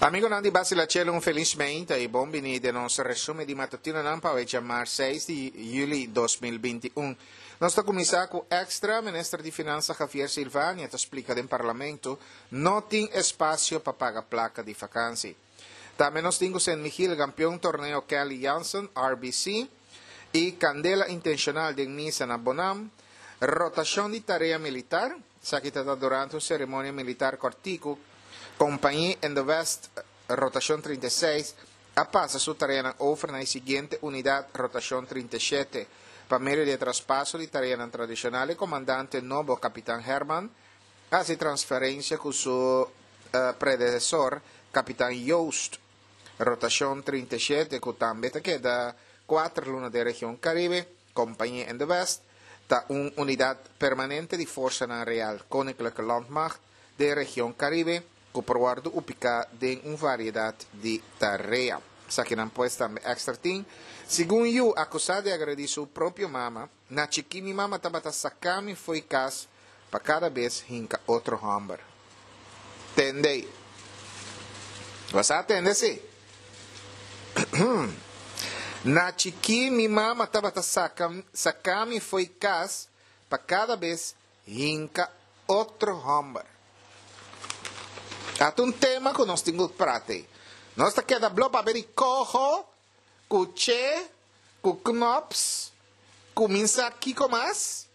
Amigonan di Basila Chelo un felis meinta y bon bini den nos resumen di matutinonan pa awe djamar 6 di juli 2021. Nos ta cuminsa cu Extra, Minister di Finansa Javier Silvania ta splica den Parlamento no tin espacio pa paga placa di vakantie. Tambe nos tin cu Sint Michiel campeon torneo Kelly Jansen, RBC, y candela intencional den misa na Bonam, rotacion di tarea militar, Esaki ta ta durante un ceremonia militar cortico. Compagnie in de West, rotacion 36, a pasa su tareanan over na e siguiente unidad, rotacion 37. Pa medio di e traspaso di tareanan tradicional, e comandante nobo, Capitan Herman, a haci transferencia cu su predecesor, Capitan Joost, rotacion 37, cu tambe ta keda cuater luna den region Caribe. Compagnie in de West ta un unidad permanente di Forsanan Real Koninklijke Landmacht den region Caribe cu por wordo ubica den un variedad di tarea. Esakinan pues tambe extra tin. Segun yu acusa di agredi su propio mama, Na chiki mi mama tabata saca mi fo'i cas pa cada bes hinca otro homber. Tende. Bo sa tende si. Na chikí mi mama tabata saka saka mi fo'i kas pa kada bes hinka otro hòmber. Ta un tema ku nos tin ku prata ei. Nos ta keda blo papia di koho ku che ku knops kuminsá kiko mas?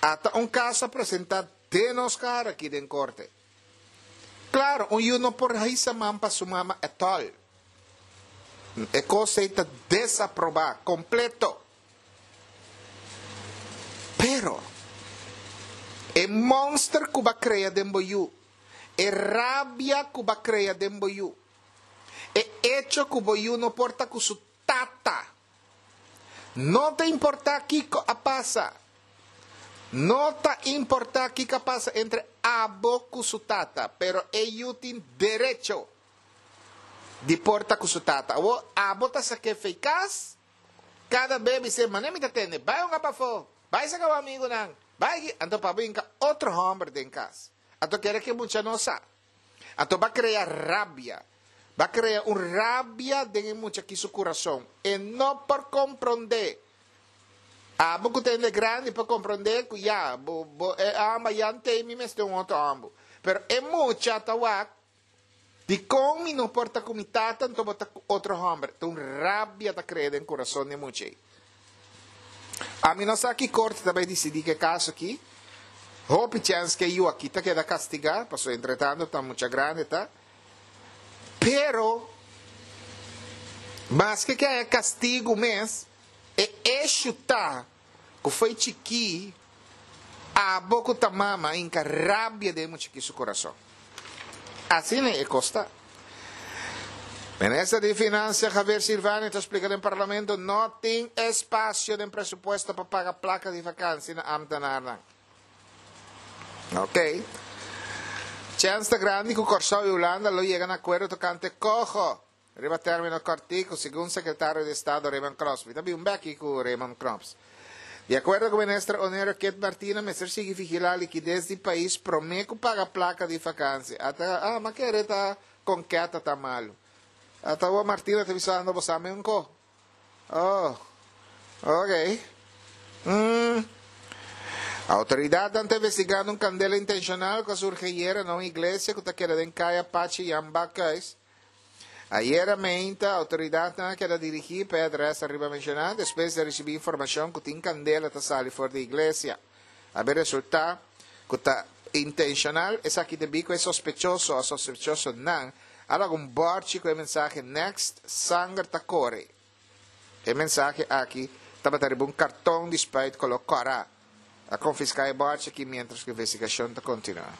Ata un kaso a presentá den nos kara aki den korte. Klaro, un yu no por hisa man pa su mama ètòl. E kos ei ta desaprobá kompleto. Pero, e mònster ku bo a krea den bo yu, e rabia ku bo a krea den bo yu, e echo ku bo yu no por ta ku su tata, No ta importá kiko a pasa. No ta importá kiko a pasa entre abo ku su tata, pero e yu tin derecho di por ta ku su tata. Awor, abo ta sak'é fei kas, kada be bis'é, Manera mi ta tende, bai hunga pafó, bai saka bo amigunan, bai aki. Anto pa bo hinka otro hòmber den kas. Anto kere ku e mucha no sa. Anto ba krea rabia. Ba krea un rabia den e mucha aki su kurason. E no por komprondé. Abo ku ta hende grandi por komprondé ku ya, bo, bo, e amba ya ntei mi mester un otro ambu. Pero e mucha ta wak, dikon mi no por ta ku mi tata anto bo ta ku otro hòmber? Ta un rabia ta krea den kurason di e mucha ei. Ami no sa ki korte ta bai disidí ku e kaso aki. Hopi chèns ku e yu aki ta keda kastigá, pasobra entretanto ta mucha grandi ta. Pero, maske ku haña kastigu mes, e eshu ta ku fo'i chikí abo ku ta mama hinka rabia den e muchikí su kurason. Asina e kos ta. Minister di Financia Javier Silvania ta splica den Parlamento no tin espacio den presupuesto pa paga placa di vakantie na ambtenaarnan. Ok. Chens ta grandi cu Corsou y Hulanda lo yega na acuerdo tocante coho Riba término kòrtiku, segun sekretario di Estado Raymond Knops. Mi ta bin un bèki ku Raymond Knops. Di akuerdo ku minister Onero Kit Martina mester sigui vigilá likides di pais promé ku paga plaka di fakansi. Ata, ah, m'a kere ta konketa ta malu. Ata awor Martina ta bisando bo sa mi un ko. Oh, ok. Mm. Autoridadnan ta investigando un kandela intenshonal ku a surgi ayera na un iglesia ku ta keda den kaya Pachi Jan Bakhuis. Ayera meinta, autoridadnan a keda dirigí pa e adres ariba menshoná despues di a risibí informashon ku tin kandela ta sali for di iglesia. A bin resultá ku ta intenshonal, esaki debí ku e sospechoso o sospechosonan a laga un bòrchi ku e mensahe Next, sanger ta kore. E mensahe aki tabata riba un karton di spuit koló kòrá. A konfiská e bòrchi aki miéntras ku investigashon ta kontinuá.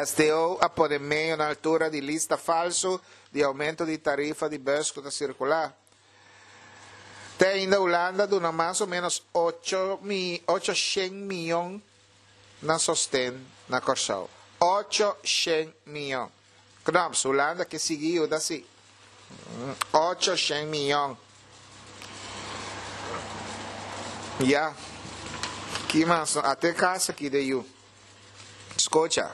STO a pone medio na altura di lista falsu di oumento di tarifa di bùs ku ta sirkulá. Te ainda Hulanda a duna mas o ménos ocho mi ocho shen mion na sosten na Kòrsou. 800 mion. Knops, Hulanda ke sigui yuda si. 800 mion. Ya. Ki mas? Ate kas aki de yu. Skocha.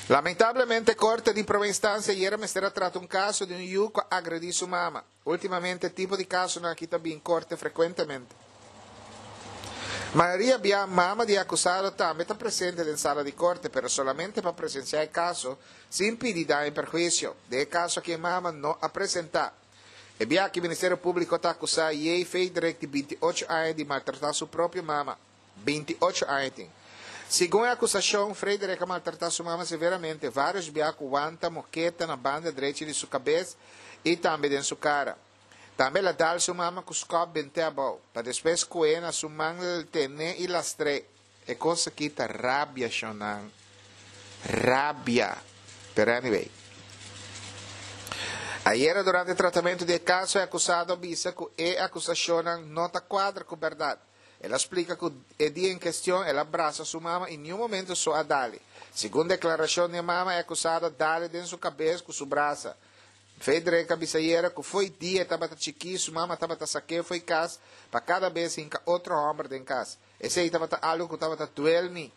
Lamentablemente Korte di Prome Instansia ayera mester a trata un kaso di un yu ku a agredí su mama. Últimamente e tipo di kasonan aki ta bin korte frekuentemente. Mayoria bia mama di e akusado tambe ta presente den sala di korte pero solamente pa presensiá e kaso sin pidi daño i perhuisio. Den e kaso aki e mama no a presentá. E bia aki Ministerio Públiko ta akusá Jay Federick di 28 aña di maltratá su propio mama. 28 aña tin. Segun e akusashon, Frederick a maltratá su mama severamente vários bia ku wanta moketa na banda drechi di su kabes i tambe den su kara. Tambe el a dal su mama ku skòp bent'é abou, pa despues ku'é na su man ten'é i lastr'é. E kos aki ta rabia, shonnan. Rabia. Pero anyway. Ayera durante tratamentu di e kaso e akusado a bisa ku e akusashonnan no ta kuadra ku bèrdat. El a splika ku e dia en kestion el a brasa su mama i niun momento so a dale. Segun deklarashon di e mama e akusado a dale den su kabes ku su brasa. Frederick a bisa ayera ku fo'i dia e tabata chikí su mama tabata sak'é fo'i kas pa kada bes hinka otro hòmber den kas. Esei tabata algu ku tabata duel mi.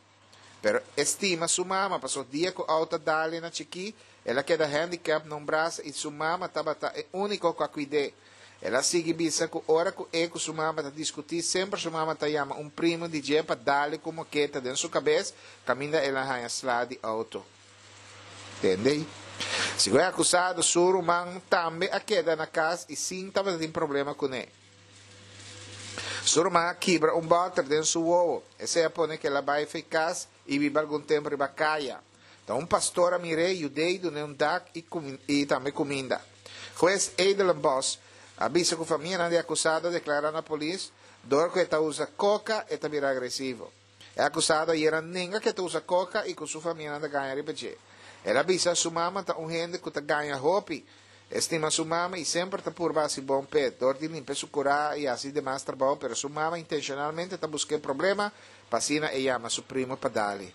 Pero e stima su mama paso dia ku outo a dale na chikí el a keda handicap na un brasa i su mama tabata e úniko ku a kuid'é. El a sigui bisa ku ora ku e ku su mama ta diskutí semper su mama ta yama un primu di dje pa dale ku moketa den su kabes kaminda el a haña sla di outo. Tende? Segun e akusado su ruman tambe a keda na kas i sin tabatin problema kuné. Su ruman a kibra un bòter den su wowo. Esei a pone ku el a bai fei kas i biba algun tempu riba kaya. Ta un pastor a mir'é, yud'é i dun'é un dak i i tambe kuminda. Hues Edelenbos a bisa ku famianan di e akusado a deklará na polis dor ku e ta usa koka e ta bira agresivo. E akusado ayera a nenga ku e ta usa koka i ku su famianan ta gaña riba dje. El a bisa su mama ta un hende ku ta gaña hopi. E stima su mama i semper ta purba hasi bon p'e, dor di limpia su kurá i hasi demas trabou, pero su mama intenshonalmente ta busk'é problema pa asina e yama su primu pa dali.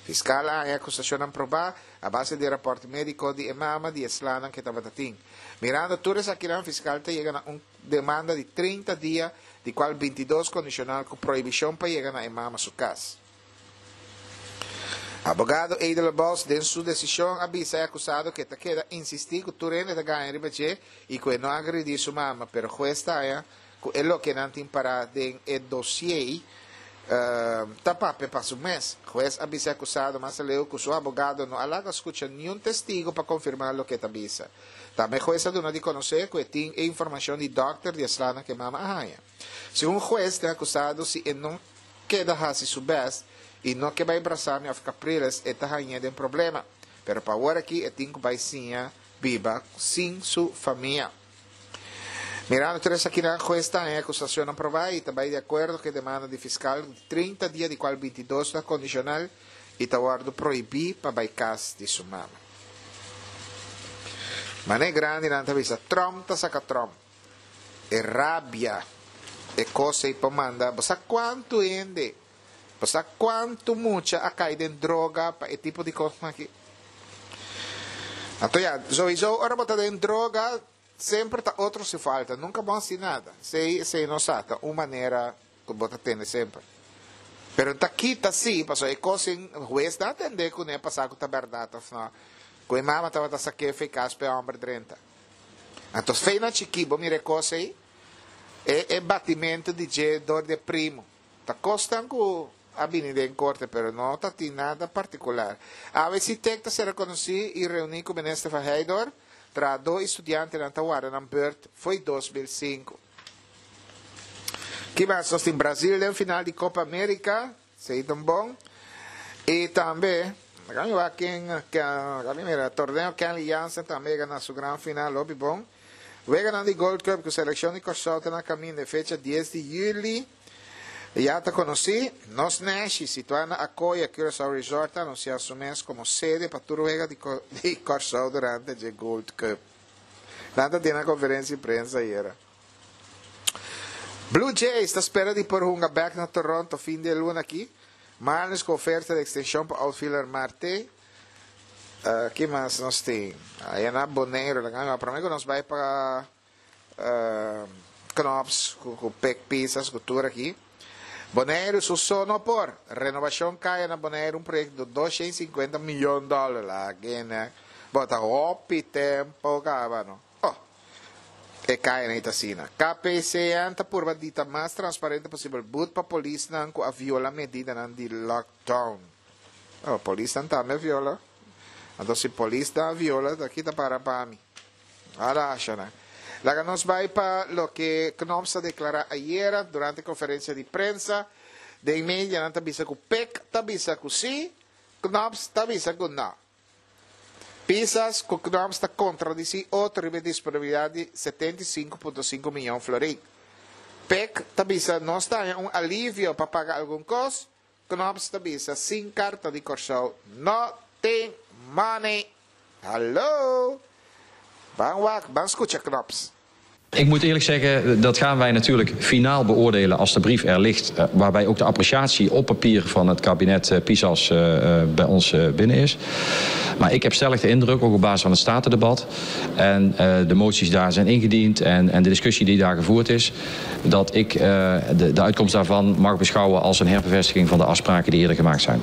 Fiskal a haña akusashonnan probá a base di e rapòrt médiko di e mama di e slanan ku e tabata tin. Mirando tur esakinan fiskal ta yega na un demanda di 30 dia, di kual 22 kondishonal ku prohibishon pa yega na e mama su kas. Abogado Edelenbos den su desishon a bisa e akusado ku e ta keda insistí ku tur hende ta gaña riba dje i ku e no a agredí su mama, pero hues ta haña ku e loke nan tin pará den e dosiei ta papia pa su mes. Hues a bisa e akusado mas aleu ku su abogado no a laga skucha niun testigo pa konfirmá loke e ta bisa. Tambe hues a duna di konosé ku e tin e informashon di dòkter di e slanan ku e mama a haña. Segun hues, den akusado si e no keda hasi su bèst i no ke bai Brasami òf Capriles e ta hañ'é den problema. Pero pa awor aki e tin ku bai siña biba sin su famia. Mirando tur esakinan, hues ta haña e akusashonnan probá i ta bai di akuerdo ku e demanda di fiskal di 30 dia di kual 22 ta kondishonal i ta wòrdu prohibí pa bai kas di su mama. Manera e grandinan ta bisa, Trump ta saka Trump. E rabia, e kos ei por manda. Bo sa kuantu hende, bo sa kuantu mucha a kai den droga pa e tipo di kosnan aki? Anto ya, souiso ora bo ta den droga, semper ta otro su falta, nunka bo hasi nada. Esei, esei no sa, ta un manera ku bo ta tende semper. Pero ta kita si, pasobra e kos sin hues ta atendé kuné pa sa ku ta bèrdat òf no. Ku e mama tabata sak'é fe kas pa e hòmber drenta. Anto fe na chikí bo mira e kos ei, e e batimentu di dje dor di e primu. Ta kosnan ku a bini den korte pero no ta tin nada partikular. Awe Sitek ta ser rekonosí i reuní ku Minister van Heydoorn, trahadó i studiantenan ta warda nan beurt fo'i 2005. Ki mas nos tin Brazil den final di Copa America, esei ta un bon. I tambe, laga mi wak ken, laga mi mira, torneo Kenley Jansen tambe a yega na su gran final, hopi bon. Weganan di Gold Cup ku selekshon di Kòrsou ta na kaminda e fecha dies di yüli ya ta konosí. Nos Nashi, situá na Akoya Curaçao Resort ta anunsiá su mes komo sede pa tur wega di Kòrsou durante dje Gold Cup. Nan ta tin nan konferensia di prensa ayera. Blue Jays ta spera di por hunga bek na Toronto fin di e luna aki. Marlins ku oferta di ekstenshon pa outfielder Marte. Ki mas nos tin? Aya na Boneiru laga mi prome ku nos bai pa Knops ku Pek Pisas ku tur aki. Boneiru su so no por. Renobashon kaya na Boneiru un proyekto di 250 mion dòler. Lag'e bo ta hopi tempu kaba no. Oh, e kaya ei ta asina. KPCN ta purba di ta mas transparente posibel. But pa polisnan ku a viola medidanan di lockdown. Oh, polisnan tambe a viola. Anto si polisnan a viola, ta kita para pa mi. Arashana. Laga nos bai pa loke Knops a deklará ayera durante konferensia di prensa. Den medianan ta bisa ku PEC ta bisa ku sí, Knops ta bisa ku no. Pisas ku Knops ta kontradisí otro riba e disponibilidat di 75.5 mion florin. PEC ta bisa nos ta haña un alivio pa paga algun kos, Knops ta bisa sin karta di Kòrsou no tin money. Hallo! Ban wak, ban skucha Knops. Ik moet eerlijk zeggen, dat gaan wij natuurlijk finaal beoordelen als de brief er ligt, waarbij ook de appreciatie op papier van het kabinet Pisas bij ons binnen is. Maar ik heb stellig de indruk, ook op basis van het statendebat en de moties daar zijn ingediend en de discussie die daar gevoerd is, dat ik de uitkomst daarvan mag beschouwen als een herbevestiging van de afspraken die eerder gemaakt zijn.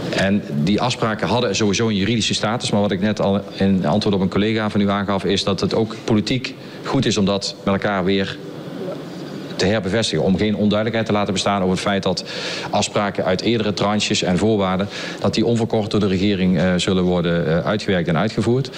En die afspraken hadden sowieso een juridische status, maar wat ik net al in antwoord op een collega van u aangaf, is dat het ook politiek goed is om dat met elkaar weer te herbevestigen. Om geen onduidelijkheid te laten bestaan over het feit dat afspraken uit eerdere tranches en voorwaarden, dat die onverkort door de regering zullen worden uitgewerkt en uitgevoerd.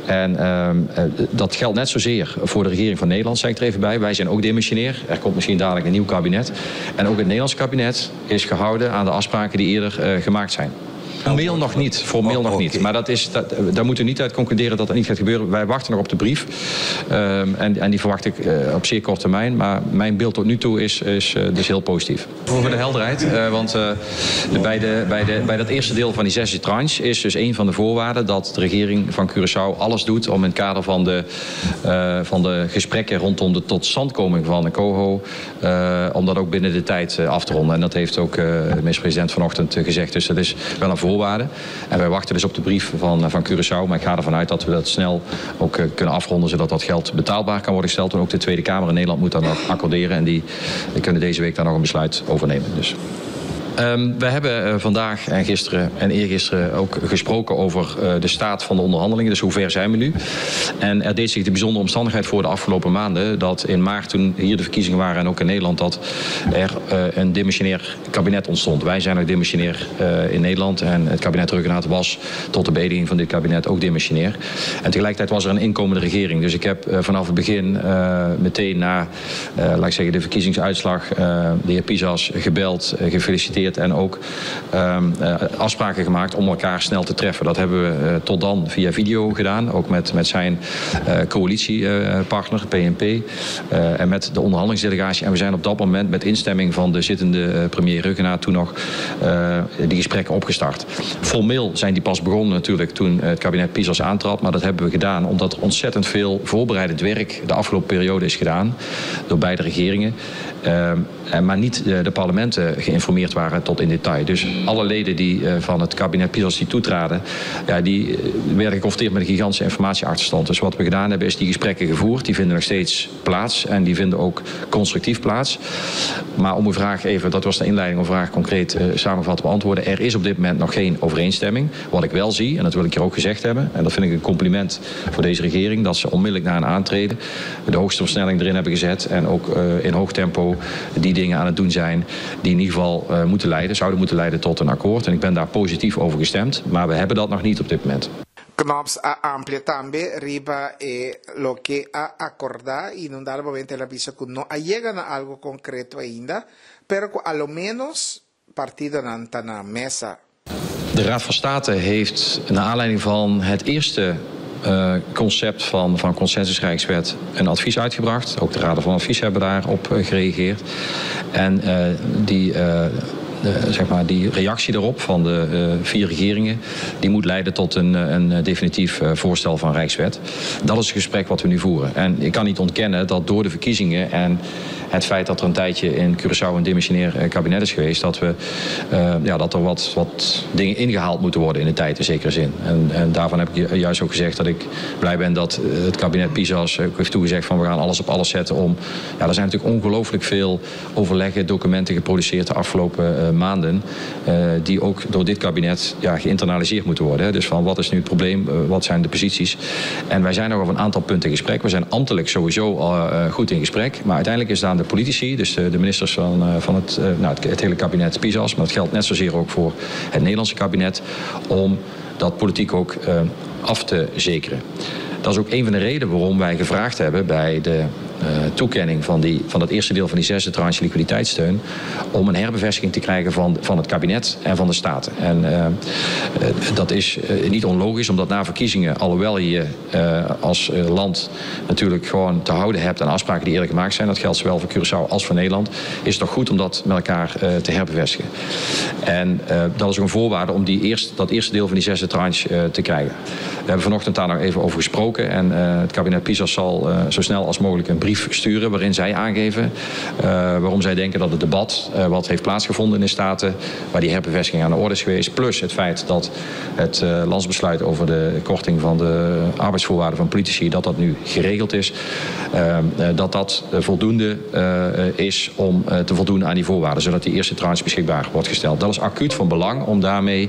En dat geldt net zozeer voor de regering van Nederland, zeg ik er even bij. Wij zijn ook demissionair. Er komt misschien dadelijk een nieuw kabinet. En ook het Nederlands kabinet is gehouden aan de afspraken die eerder gemaakt zijn. Formeel nog niet, formeel nog niet. Maar daar moeten we niet uit concluderen dat dat niet gaat gebeuren. Wij wachten nog op de brief. En die verwacht ik op zeer korte termijn. Maar mijn beeld tot nu toe is dus heel positief. Voor de helderheid, want bij dat eerste deel van die zesde tranche is dus een van de voorwaarden dat de regering van Curaçao alles doet om in het kader van de gesprekken rondom de totstandkoming van de COHO, om dat ook binnen de tijd af te ronden. En dat heeft ook de minister-president vanochtend gezegd. Dus dat is wel een voorwaarde. En wij wachten dus op de brief van Curaçao. Maar ik ga ervan uit dat we dat snel ook kunnen afronden, zodat dat geld betaalbaar kan worden gesteld. En ook de Tweede Kamer in Nederland moet daar nog accorderen. En die kunnen deze week daar nog een besluit over nemen. Dus. We hebben vandaag en gisteren en eergisteren ook gesproken over de staat van de onderhandelingen. Dus hoe ver zijn we nu? En er deed zich de bijzondere omstandigheid voor de afgelopen maanden dat in maart, toen hier de verkiezingen waren en ook in Nederland, dat er een demissionair kabinet ontstond. Wij zijn ook demissionair in Nederland en het kabinet Rhuggenaath was tot de beëdiging van dit kabinet ook demissionair. En tegelijkertijd was er een inkomende regering. Dus ik heb vanaf het begin meteen na, laat ik zeggen, de verkiezingsuitslag de heer Pisas gebeld, gefeliciteerd en ook afspraken gemaakt om elkaar snel te treffen. Dat hebben we tot dan via video gedaan, ook met zijn coalitiepartner PNP en met de onderhandelingsdelegatie. En we zijn op dat moment met instemming van de zittende premier Rhuggenaath toen nog die gesprekken opgestart. Formeel zijn die pas begonnen natuurlijk toen het kabinet Pisas aantrad, maar dat hebben we gedaan omdat er ontzettend veel voorbereidend werk de afgelopen periode is gedaan door beide regeringen. Maar niet de parlementen geïnformeerd waren tot in detail. Dus alle leden die van het kabinet Pisas die toetraden, ja, die werden geconfronteerd met een gigantische informatieachterstand. Dus wat we gedaan hebben, is die gesprekken gevoerd. Die vinden nog steeds plaats en die vinden ook constructief plaats. Maar om uw vraag even, dat was de inleiding, om uw vraag concreet samengevat te beantwoorden. Er is op dit moment nog geen overeenstemming. Wat ik wel zie, en dat wil ik hier ook gezegd hebben, en dat vind ik een compliment voor deze regering, dat ze onmiddellijk na een aantreden de hoogste versnelling erin hebben gezet en ook in hoog tempo die dingen aan het doen zijn die in ieder geval zouden moeten leiden tot een akkoord. En ik ben daar positief over gestemd, maar we hebben dat nog niet op dit moment. Knops a amplia tambe riba e loke a akordá i na un dado momento el a bisa ku no a yega na algu konkreto ainda, pero ku a lo menos partidonan ta na mesa. De Raad van State heeft naar aanleiding van het eerste concept van consensusrijkswet een advies uitgebracht. Ook de Raden van Advies hebben daarop gereageerd. En die zeg maar, die reactie daarop van de vier regeringen, die moet leiden tot een definitief voorstel van Rijkswet. Dat is het gesprek wat we nu voeren. En ik kan niet ontkennen dat door de verkiezingen en het feit dat er een tijdje in Curaçao een demissionair kabinet is geweest, dat, we, ja, dat er wat dingen ingehaald moeten worden in de tijd in zekere zin. En daarvan heb ik juist ook gezegd dat ik blij ben dat het kabinet Pisas ook heeft toegezegd van we gaan alles op alles zetten om. Ja, er zijn natuurlijk ongelooflijk veel overleggen, documenten geproduceerd de afgelopen maanden, die ook door dit kabinet, ja, geïnternaliseerd moeten worden. Hè. Dus van wat is nu het probleem, wat zijn de posities. En wij zijn nog over een aantal punten in gesprek. We zijn ambtelijk sowieso al goed in gesprek. Maar uiteindelijk is het aan de politici, dus de ministers van nou, het hele kabinet Pisas, maar dat geldt net zozeer ook voor het Nederlandse kabinet, om dat politiek ook af te zekeren. Dat is ook een van de redenen waarom wij gevraagd hebben bij de toekenning van het eerste deel van die zesde tranche liquiditeitssteun, om een herbevestiging te krijgen van het kabinet en van de Staten. En dat is niet onlogisch, omdat na verkiezingen, alhoewel je als land natuurlijk gewoon te houden hebt aan afspraken die eerder gemaakt zijn, dat geldt zowel voor Curaçao als voor Nederland, is het toch goed om dat met elkaar te herbevestigen. En dat is ook een voorwaarde om dat eerste deel van die zesde tranche te krijgen. We hebben vanochtend daar nog even over gesproken en het kabinet Pisas zal zo snel als mogelijk een brief sturen waarin zij aangeven waarom zij denken dat het debat wat heeft plaatsgevonden in de Staten, waar die herbevestiging aan de orde is geweest, plus het feit dat het landsbesluit over de korting van de arbeidsvoorwaarden van politici, dat dat nu geregeld is, dat dat voldoende is om te voldoen aan die voorwaarden, zodat die eerste tranche beschikbaar wordt gesteld. Dat is acuut van belang om daarmee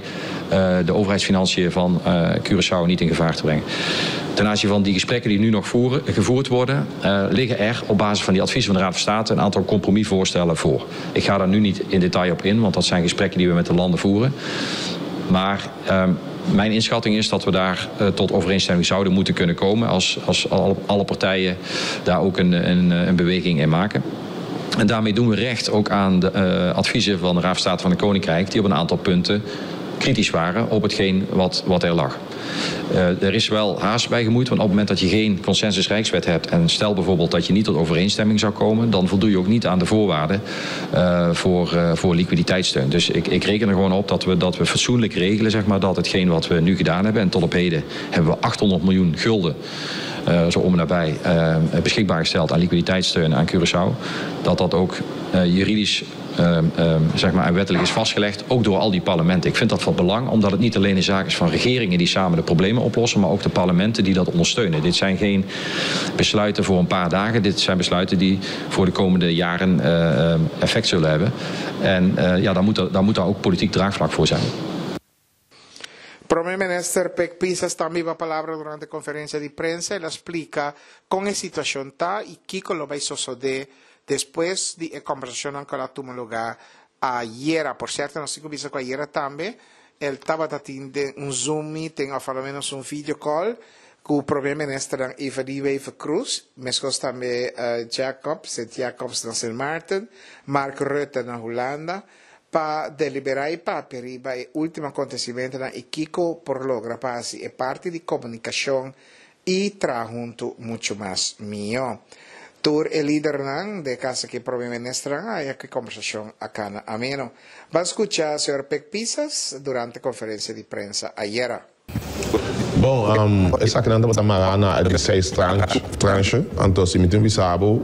de overheidsfinanciën van Curaçao niet in gevaar te brengen. Ten aanzien van die gesprekken die nu nog gevoerd worden, liggen er op basis van die adviezen van de Raad van State een aantal compromisvoorstellen voor. Ik ga daar nu niet in detail op in, want dat zijn gesprekken die we met de landen voeren. Maar mijn inschatting is dat we daar tot overeenstemming zouden moeten kunnen komen als alle partijen daar ook een beweging in maken. En daarmee doen we recht ook aan de adviezen van de Raad van State van het Koninkrijk, die op een aantal punten kritisch waren op hetgeen wat er lag. Er is wel haast bij gemoeid, want op het moment dat je geen consensus Rijkswet hebt en stel bijvoorbeeld dat je niet tot overeenstemming zou komen, dan voldoe je ook niet aan de voorwaarden voor liquiditeitssteun. Dus ik reken er gewoon op dat we fatsoenlijk regelen, zeg maar, dat hetgeen wat we nu gedaan hebben, en tot op heden hebben we 800 miljoen gulden zo om en nabij beschikbaar gesteld aan liquiditeitssteun aan Curaçao, dat dat ook juridisch zeg maar, en wettelijk is vastgelegd, ook door al die parlementen. Ik vind dat van belang, omdat het niet alleen een zaak is van regeringen die samen de problemen oplossen, maar ook de parlementen die dat ondersteunen. Dit zijn geen besluiten voor een paar dagen, dit zijn besluiten die voor de komende jaren effect zullen hebben. En ja, daar moet daar ook politiek draagvlak voor zijn. Prome Minister Pik Pisas tambe a palabra durante conferencia di prensa. El a splica con e situacion ta y kico lo bay sucede despues di e conversacion cu a tuma luga ayera. Por cierto, nos a bisa cu ayera tambe e tabata tin un Zoom meeting of al menos un video call cu Prome Minister Evelyn Wever-Croes, mescos tambe Jacobs, Sint Jacobs na Sint Maarten, Mark Rutte na Hulanda, pa delibera y papia riba e ultimo acontecimentonan y kico por logra pa e parti di comunicacion y traha hunto mucho mas miho. Tur e lidernan den caso cu prome minister a e conversacion a cana ameno. Ban scucha señor Pik Pisas durante conferencia di prensa ayera. Bon, esaki nan tabata mará na e seis tranche. Anto, si mi tin bisa bo,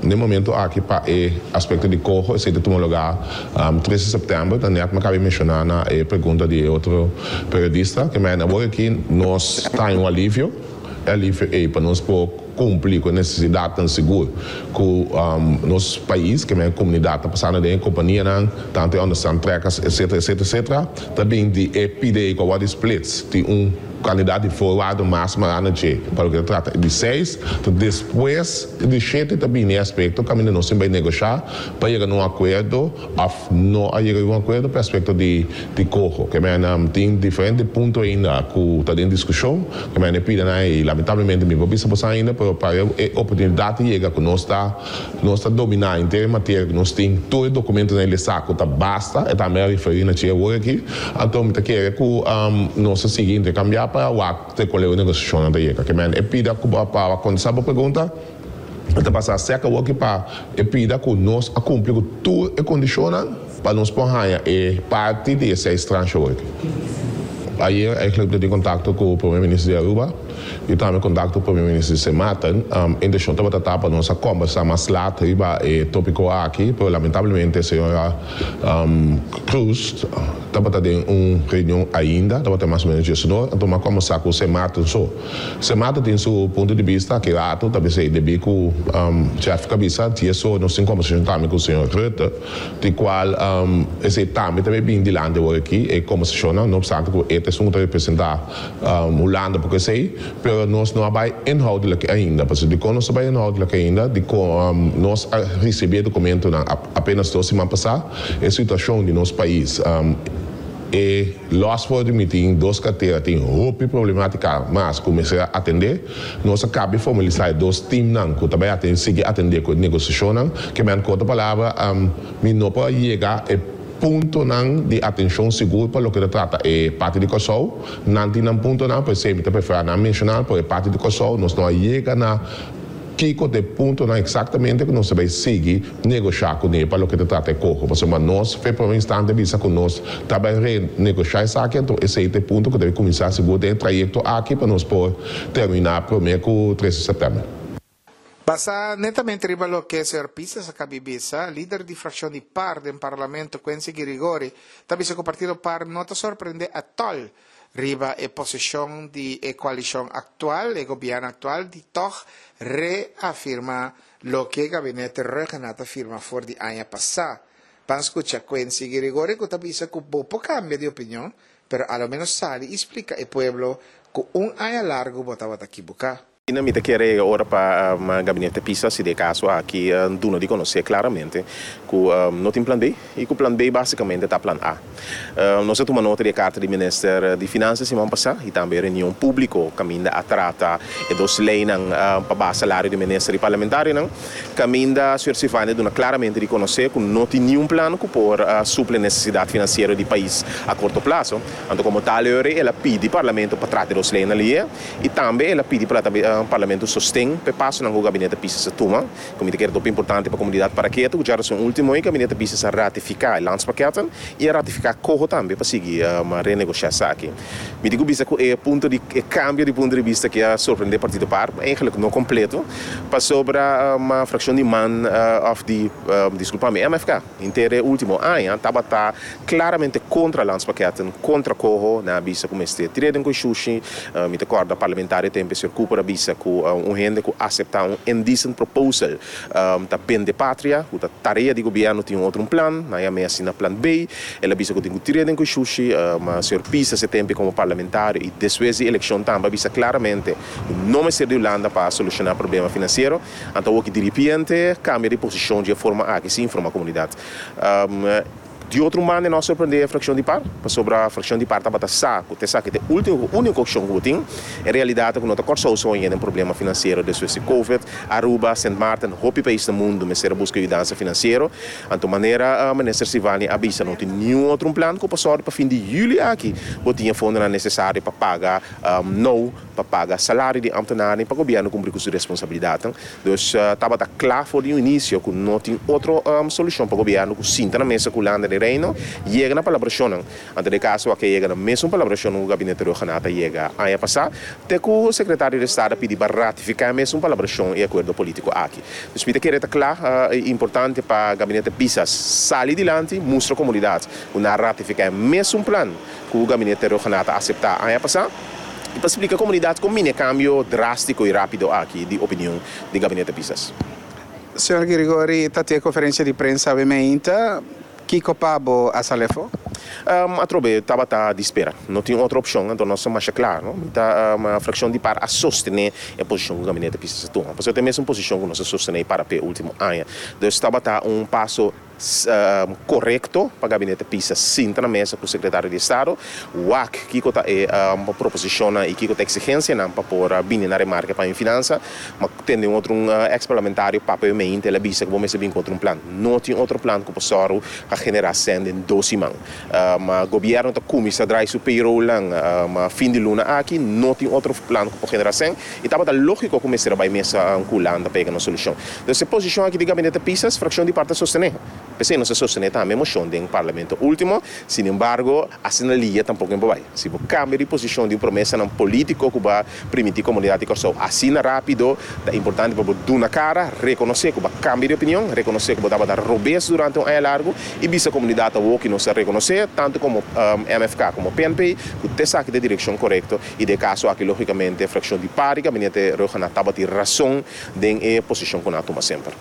na momento aki pa e aspecto di coho, esey ta tuma luga 3 di september, dan net mi a caba di menciona na e pregunta di otro periodista, cu men awor aki nos ta den un alivio, alivio e pa nos por cumpli cu e necesidad sigur cu nos pais, cu e comunidad ta pasando den companianan, tanto onderstand trekkers, etc., etc., etc. Tambe di e pida cu e splits, di un cantidad di voorwaarden mas mará pa loke ta trata di seis, anto despues di shete tambe e aspecto caminda nos ta bay negosha pa yega na un acuerdo of no a yega na un acuerdo pa aspecto di coho, kiermen tin diferente punto ainda cu ta den discusion, kiermen pida y lamentablemente mi no por bisa ainda, pero pa e oportunidad yega cu nos ta domina henter materia, cu nos tin tur documento na saco ta basta y tambe referi na e awor aki. Anto mi ta kere cu nos ta sigui intercambia pa wak te cua negociacion ta yega, kiermen e pida cu pa contesta e pregunta ta pasa cerca o pa e pida cu nos a cumpli cu tur e condicionnan. pa nos por haña e parti di e seis tranche awor. Ayer eigenlijk mi ta tin kontakto ku Prome Minister di Aruba i tambe kontakto ku Prome Minister di Sint Maarten. Intenshon tabata ta pa nos a kombersá mas lat riba e topiko aki, pero lamentablemente señora Cruz tabata den un reunion ainda, tabata mas o menos diesunor, anto mi a kombersá ku Sint Maarten so. Sint Maarten tin su punto di bista aki rato, ta bisa debí ku Jeff a bisa diesor nos tin kombersashon tambe ku señor Rutte. Di cual esey tambe ta bay bin dilanti awor aki, e conversacionnan, no obstante cu e ta esun cu ta representa Hulanda porque esey, pero nos no a bay inhoudelijk ainda. Pasobra dicon nos no a bay inhoudelijk ainda? Dicon nos a ricibi e documentonan apenas dos siman pasa, e situacion di nos pais, E los for di mi tin dos cartera tin hopi problematica mas cu mester a atende. Nos a cabi formalisa e dos teamnan cu ta bay atende sigui atende cu e negociacionnan. Ke men cu otro palabra mi no por a yega e puntonan di atencion sigur pa loke ta trata e parti di Corsou. Nan tin nan puntonan, p'esey mi ta prefera nan menciona, pero e parti di Corsou nos no a yega na Kiko ta e puntonan eksaktamente ku nos ta bai sigui negoshá kuné pa loke ta trata e koho? Pasobra nos fe promé instante bisa ku nos ta bai renegoshá esaki, anto esei ta e punto ku ta bai kuminsá sigur den e trayekto aki pa nos por terminá promé ku tres di sèptèmber. Basá netamente riba loke señor Pisas a kabi bisa, lider di frakshon di par den Parlamento, Quincy Girigori, ta bisa ku partido par no ta sorprendé atòl Riba e posishon di e koalishon aktual, e gobièrnu aktual di tòg reafirmá loke e gabinete Rhuggenaath a firma for di aña pasá. Ban skucha Quincy Girigorie ku ta bisa ku bo por kambia di opinion, pero a lo ménos sali i splika e pueblo ku un aña largu bo tabata kibuká. Asina mi ta kere e ora pa Gabinete Pisas si den e kaso aki duna di konosé klaramente ku no tin plan B i ku plan B basikamente ta plan A. Nos a tuma nota di e karta di Minister di Finansa siman pasá i tambe e reunion públiko kaminda a trata e dos leinan pa baha salario di minister i parlamentarionan kaminda señor Silvania duna klaramente di konosé ku no tin niun plan ku por suple nesesidat finansiero di pais a korto plaso. Anto komo tal e ora el a pidi Parlamento pa trata e dos leinan lié. I tambe el a pidi pa Parlamento sosten pa e pasonan ku Gabinete Pisas a tuma. Ku mi ta kere hopi importante pa komunidat Paraketo ku djarason ultimo ei Gabinete Pisas a ratifiká e landspakketten i a ratifiká koho tambe pa sigui renegoshá esaki. Mi tin ku bisa ku e punto di e kambio di punto di bista aki a sorprendé Partido Par, ma eigenlik no kompleto, pasobra frakshon di man òf di, diskulpa mi, MFK. Henter e ultimo aña tabata claramente contra landspakketten, contra coho. Nan a bisa cu mester tira den cu shushi. Mi ta corda parlamentario tempe señor Cooper a bisa cu un hende cu acepta un indecent proposal ta bende patria, cu ta tarea di gobierno tin un otro un plan. Nan yam'e asina plan B. El a bisa cu tin cu tira den cu shushi. Señor Pisas e tempe como parlamentario y despues di eleccion tambe a bisa claramente cu no mester di Hulanda pa soluciona problema financiero. Anto awor ki diripiente kambia di posishon dje forma aki sin informa komunidat. Di otro manda no a sorprende e frakshon di par, pasobra frakshon di par tabata sa ku ta esaki ta e ultimo ku uniko opshon ku bo tin. E realidat ta ku no ta Kòrsou so yenda den problema finansiero despues di Covid. Aruba, Sint Maarten, hopi pais na mundu mester a buska yudansa finansiero. Anto manera Minister Silvania a bisa no tin niun otro un plan ku por sòru pa fin di yüli aki bo tin e fondonan nesesario pa paga nou. pa paga salario di ambtenarnan i pa gobièrnu kumpli ku su responsabilidatnan. Dus tabata kla for di un inisio ku no tin otro solushon pa gobièrnu ku sinta na mesa ku Hulanda den Reino yega na palabrashonnan. Anto den e kaso aki a yega na mesun palabrashonnan ku Gabinete Rhuggenaath a yega aña pasá te ku Sekretario di Estado a pidi pa ratifiká e mesun palabrashon i akuerdo polítiko aki. Dus mi ta kere ta kla i importante pa Gabinete Pisas sali dilanti mustra komunidat ku nan a ratifiká e mesun plan ku Gabinete Rhuggenaath a aseptá aña pasá. I pa splika komunidat kon bini e kambio drástiko i rápido aki di opinion di Gabinete Pisas. Señor Girigori ta tin e konferensia di prensa awe meinta. Kiko pa bo a sali afó? Atrobe tabata di spera. No tin otro opshon, anto nos ta masha kla, no? Mi ta frakshon di par a sostené e posishon ku Gabinete Pisas a tuma. Pasobra ta e mesun posishon ku nos a sostené i para p'e último aña. Dus tabata un paso Korekto pa Gabinete Pisa sinta na mesa ku Sekretario di Estado, wak kiko ta e proposishonnan i kiko ta eksigensianan pa por bini na remarke pa Infinansa. Ma tende un otro un eks parlamentario papia e meinte, el a bisa ku bo mester bin ku otro un plan. No tin otro plan ku por sòru pa generá sèn den dos siman. Ma gobièrnu ta kuminsá drai su payrollnan fin di luna aki, no tin otro plan ku por generá sèn i tabata lógiko ku mester a bai mesa ku Hulanda pa yega na un solushon. Dus e posishon aki di Gabinete Pisas, frakshon di par ta sostené. P'esei nos a sostené tambe e moshon den Parlamento último. Sinembargo, asina lia tampoko en por bai. Si bo kambia di posishon di un promesanan polítiko ku bo a primintí komunidat di Kòrsou asina rápido, ta importante pa bo duna kara, rekonosé ku bo a kambia di opinion, rekonosé ku bo tabata robes durante un aña largu i bisa komunidat awor ku nos a rekonosé, tantu komo MFK komo PNP, ku t'esaki ta e direkshon korekto i den e kaso aki lógikamente frakshon di par di gabinete Rhuggenaath tabatin rason den e posishon ku nan a tuma semper.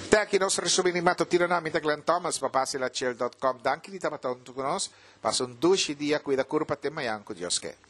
Te aki nos resumi di matutino na mi ta Glenn Thomas pa Basilachill dot com. Danki di tabata huntu ku nos. Pasa un dushi dia, kuida kurpa te mayan ku Dios ke.